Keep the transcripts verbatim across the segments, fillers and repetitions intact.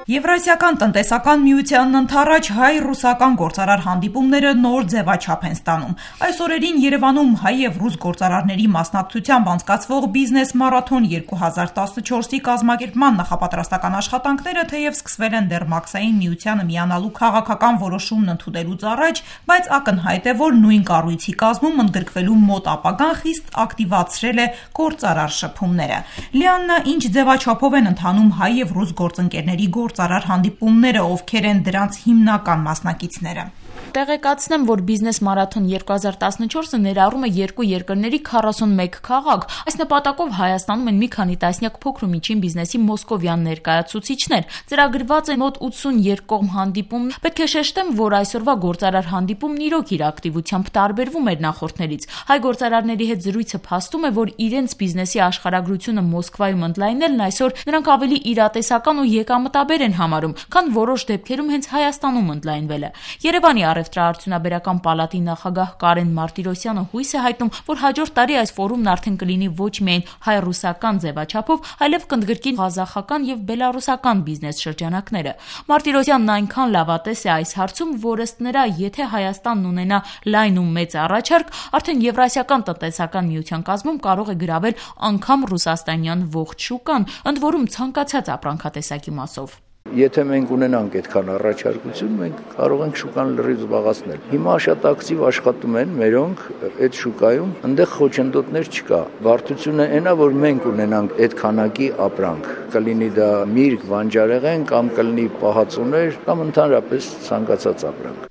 Եվրասիական տնտեսական միությանն ընդառաջ հայ-ռուսական գործարար հանդիպումները նոր ձևաչափ են ստանում։ Այս օրերին Երևանում հայ և ռուս գործարարների մասնակցությամբ անցկացվող բիզնես մարաթոն երկու հազար տասնչորսի կազմակերպման նախապատրաստական աշխատանքները թեև սկսվել են դեռ մաքսային միությանը միանալու քաղաքական որոշումն ընդունելուց առաջ, բայց ակնհայտ է, որ նույն կառույցի կազմում ընդգրկվելու մոտ ապագան խիստ ակտիվացրել է գործարար շփումները։ Լիաննա, ինչ ձևաչափով են ընթանում հայ և ռուս գործընկերների գործարար հանդիպումները, ովքեր են դրանց հիմնական մասնակիցները։ Տեղեկացնեմ, որ բիզնես մարաթոն երկու հազար տասնչորսը ներառում է երկու երկրների քառասունմեկ քաղաք։ Այս նպատակով Հայաստանում են մի քանի տասնյակ փոքր ու միջին բիզնեսի մոսկովյան ներկայացուցիչներ։ Ծրագրված է մոտ ութսուն երկկողմ հանդիպում։ Պետք է շեշտեմ, որ այսօրվա գործարար հանդիպումն իրոք իր ակտիվությամբ տարբերվում էր նախորդներից։ Հայ գործարարների հետ զրույցը փաստում է, որ իրենց բիզնեսի աշխարհագրությունը Մոսկվայում ընդլայնելն այսօր նրանք ավելի իրատեսական ու եկամտաբեր են համարում, քան որոշ դեպքերում հենց Հայաստանում ընդլայնվելը։ Երևանի Առևտրաարդյունաբերական պալատի նախագահ Կարեն Մարտիրոսյանը հույս է հայտնում, որ հաջորդ տարի այս ֆորումն արդեն կլինի ոչ միայն հայ-ռուսական ձևաչափով, այլև կընդգրկի ղազախական և բելառուսական բիզնես շրջանակները։ Մարտիրոսյանն այնքան լավատես է այս հարցում, որ ըստ նրա, եթե Հայաստանն ունենա լայն ու մեծ առաջարկ, արդեն Եվրասիական տնտեսական միության կազմում կարող է գրավել անգամ ռուսաստանյան ողջ շուկան, ընդ որում ցանկացած ապրանքատեսակի մասով։ Եթե մենք ունենանք այդքան առաջարկություն, մենք կարող ենք շուկան լրիվ զբաղեցնել։ Հիմա շատ ակտիվ աշխատում են մերոնք այդ շուկայում, այնտեղ խոչընդոտներ չկա։ Բարդությունը այն է, որ մենք ունենանք այդ քանակի ապրանք, կլինի դա միրգ, բանջարեղեն կամ կլինի պահածոներ կամ ընդհանրապես ցանկացած ապրանք։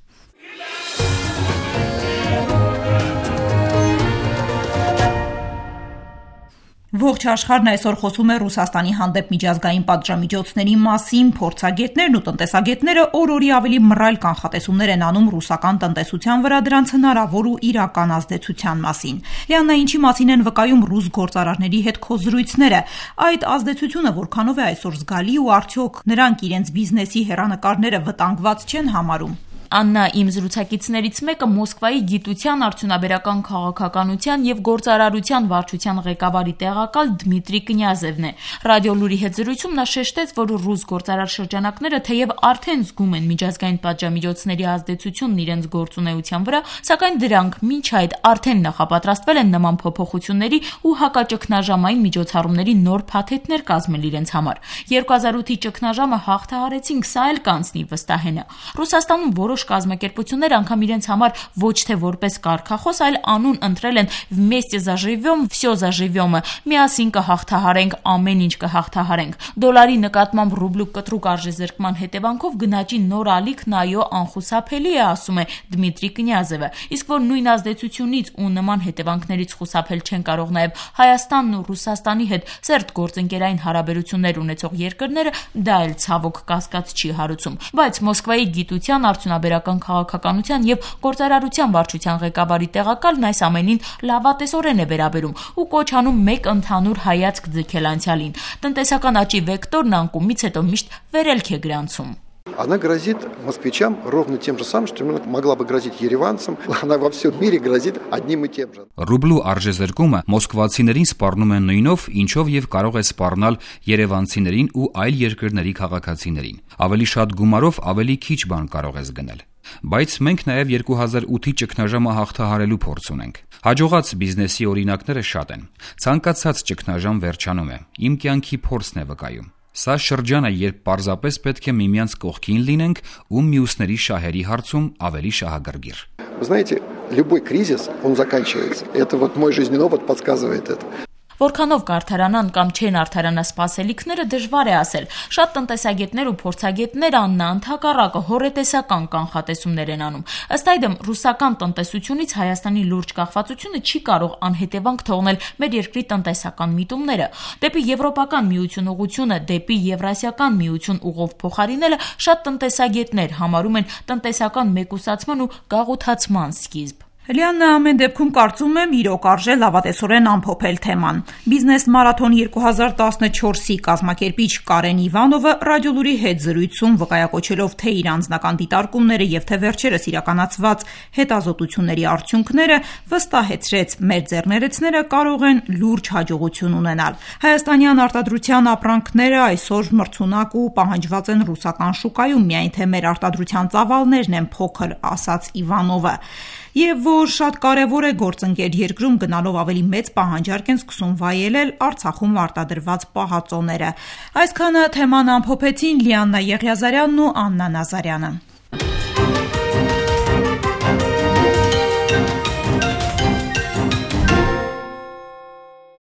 Ողջ աշխարհն այսօր խոսում է Ռուսաստանի հանդեպ միջազգային պատժամիջոցների մասին, փորձագետներն ու տնտեսագետները օր-օրի ավելի մռայլ կանխատեսումներ են անում ռուսական տնտեսության վրա դրանց հնարավոր ու իրական ազդեցության մասին։ Լիաննա, ինչի մասին են վկայում ռուս գործարարների հետ քո զրույցները։ Այդ ազդեցությունը որքանով է այսօր զգալի ու արդյոք նրանք իրենց բիզնեսի հեռանկարները վտանգված չեն համարում։ Աննա, իմ զրուցակիցներից մեկը Մոսկվայի գիտության, արդյունաբերական քաղաքականության և գործարարության վարչության ղեկավարի տեղակալ Դմիտրի Կնյազևն է։ Ռադիոլուրի հետ զրույցում նա շեշտեց, որ ռուս գործարար շրջանակները թեև արդեն զգում են միջազգային պատժամիջոցների ազդեցությունն իրենց գործունեության վրա, սակայն դրանք մինչ այդ արդեն նախապատրաստվել են նման փոփոխությունների ու հակաճգնաժամային միջոցառումների նոր փաթեթներ կազմել իրենց համար։ երկու հազար ութի ճգնաժամը հաղթահարեցինք, սա էլ կանցնի, վստահ է նա։ Ռուսաստանում որոշ կազմակերպություններ անգամ իրենց համար ոչ թե որպես կարգախոս, այլ անուն ընտրել են «Вместе заживем, все заживем»-ը, միասին կհաղթահարենք, ամեն ինչ կհաղթահարենք։ Դոլարի նկատմամբ ռուբլու կտրուկ արժեզրկման հետևանքով գնաճի նոր ալիքն այո անխուսափելի է, ասում է Դմիտրի Կնյազևը։ Իսկ որ նույն ազդեցությունից ու նման հետևանքներից խուսափել չեն կարող նաև Հայաստանն ու Ռուսաստանի հետ սերտ գործընկերային հարաբերություններ ունեցող երկրները, դա էլ ցավոք կասկած չի հարուցում։ Բայց Մոսկվայի գիտության, արդյունաբերական քաղաքականության և գործարարության վարչության ղեկավարի տեղակալն այս ամենին լավատեսորեն է վերաբերում ու կոչ անում մեկ ընդհանուր հայացք ձգել անցյալին։ Տնտեսական աճի վեկտորն անկումից հետո միշտ վերելք է գրանցում։ Она грозит москвичам ровно тем же самым, что могла бы грозить երևանցам, она во всем мире грозит одним и тем же. Ռուբլու արժեզրկումը մոսկվացիներին սպառնում է նույնով, ինչով եւ կարող է սպառնալ երևանցիներին ու այլ երկրների քաղաքացիներին։ Ավելի շատ գումարով ավելի քիչ բան կարող ես գնել։ Բայց մենք նաև երկու հազար ութի ճգնաժամը հաղթահարելու փորձ ունենք։ Հաջողած բիզնեսի օրինակները շատ են։ Ցանկացած ճգնաժամ վերջանում է։ Իմ կյանքի փորձն է վկայում։ Սա շրջան է, երբ պարզապես պետք է միմյանց կողքին լինենք ու մյուսների շահերի հարցում ավելի շահագրգիռ։ Вы знаете, любой кризис, он заканчивается. Это вот мой жизненный опыт подсказывает это. Որքանով կարդարանան կամ չեն արդարանա սպասելիքները դժվար է ասել։ Շատ տնտեսագետներ ու փորձագետներ Աննա ընդհակառակը հորետեսական կանխատեսումներ են անում։ Ըստ այդմ ռուսական տնտեսությունից Հայաստանի լուրջ կախվածությունը չի կարող անհետևանք թողնել մեր երկրի տնտեսական միտումները։ Դեպի Եվրոպական միություն ուղղությունը, դեպի Եվրասիական միություն ուղով փոխարինելը շատ տնտեսագետներ համարում են տնտեսական մեկուսացման ու գաղութացման սկիզբ։ Լիաննա ամեն դեպքում կարծում եմ իրոք արժե լավատեսորեն ամփոփել թեման։ Բիզնես մարաթոն երկու հազար տասնչորսի կազմակերպիչ Կարեն Իվանովը ռադիոլուրի հետ զրույցում վկայակոչելով թե իր անձնական դիտարկումները եւ թե վերջերս իրականացված հետազոտությունների արդյունքները վստահեցրեց մեր ձեռներեցները կարող են լուրջ հաջողություն ունենալ։ Հայաստանյան արտադրության ապրանքները այսօր մրցունակ ու պահանջված են ռուսական շուկայում, միայն թե մեր արտադրության ծավալներն են փոքր, ասաց Իվանովը։ Եվ որ շատ կարևոր է գործընկեր երկրում գնալով ավելի մեծ պահանջարկ են սկսում վայելել Արցախում արտադրված պահածոները։ Այսքանը թեման ամփոփեցին Լիաննա Եղիազարյանն ու Աննա Նազարյանը։